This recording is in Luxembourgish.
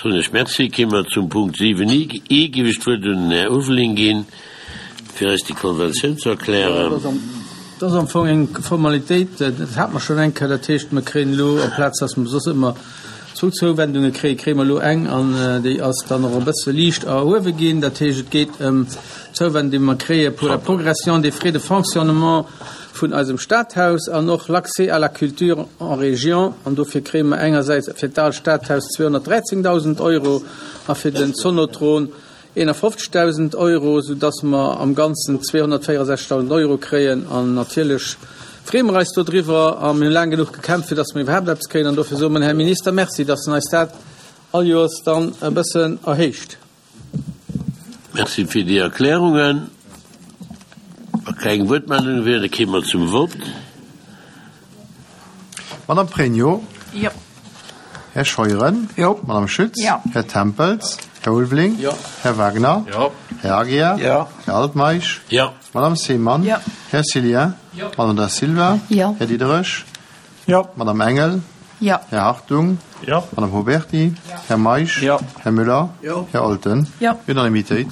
Soen ech Merci. Kéime mer zum Punkt 7 I. Géif ech d'Wuert un den Här Ulveling ginn, fir eis déi Konventioun ze erklären. Dat ass am Fong eng Formalitéit, dat hate mer schonn eng Kéier. Dat heescht, mer kréien elo, amplaz dass mer soss ëmmer zwou Zouwendunge kréien, kréie mer elo eng an déi ass dann och e bësse liicht erhuewe ginn. Dat heescht, et geet ëm d'Zouwendung, déi mer kréie pour la progression des frais de fonctionnement vun eisem Stadhaus an och l'accès à la culture en région. An dofir kréie mer engersäits fir d'Aalt Stadhaus 213.000 Euro a fir den Zonotron 51.000 Euro, soudass mer am Ganzen 264.000 Euro kréien. An natierlech freeë mer eis dodriwwer a mir hu laang genuch gekämpft, fir dass mer iwwerhaapt eppes kréien. An dofir soe mer dem Här Minister Merci, dass en eis dat all Joers dann e bëssen erhéicht. Merci fir déi Erklärungen. Wa keng Wuertmeldunge wieren, da kéime mer zum Vott. Madame Pregno. Jo. Här Scheuren. Jo. Madame Schütz. Jo. Här Tempels. Här Ulveling. Jo. Här Wagner. Jo. Här Aguiar. Jo. Här Altmeisch. Jo. Madame Seemann. Jo. Här Cillien. Jo. Madame Da Silva. Jo. Här Diderich. Jo. Madame Engel. Jo. Här Hartung. Jo. Madame Huberty. Jo. Här Meisch. Jo. Här Müller. Jo. Här Olten. Jo. Unanimitéit.